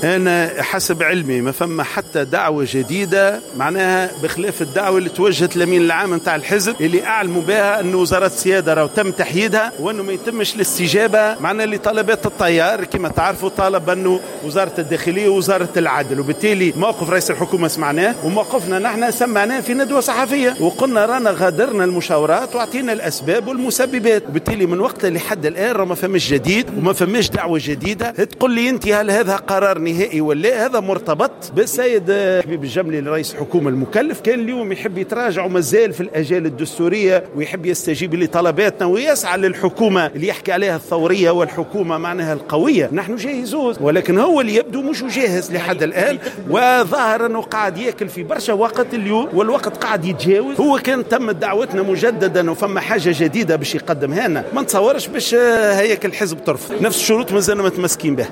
أنا حسب علمي ما فما حتى دعوة جديدة، معناها بخلاف الدعوة اللي توجهت للأمين العام نتاع الحزب اللي أعلموا بها أن وزارة السيادة راهو تم تحييدها وأنه ما يتمش الاستجابة معنا لطلبات التيار. كما تعرفوا طالب أنه وزارة الداخلية ووزارة العدل، وبالتالي موقف رئيس الحكومة سمعناه وموقفنا نحن سمعناه في ندوة صحفية وقلنا رانا غادرنا المشاورات وأعطينا الأسباب والمسببات، وبالتالي من وقت لحد الآن راه ما فماش جديد وما فماش دعوة جديدة. تقول لي أنت هل هذا قرار نهائي ولا؟ هذا مرتبط بالسيد حبيب الجملي رئيس الحكومة المكلف، كان اليوم يحب يتراجع ومازال في الأجال الدستورية ويحب يستجيب لطلباتنا ويسعى للحكومة اللي يحكي عليها الثورية والحكومة معناها القوية، نحن جاهزون، ولكن هو اللي يبدو مش جاهز لحد الآن، وظاهر أنه قاعد ياكل في برشا وقت اليوم والوقت قاعد يتجاوز. هو كان تم دعوتنا مجددا وفما حاجة جديدة باش يقدمها لنا، ما نتصورش باش هياك الحزب ترفض. نفس الشروط مازلنا متمسكين بها.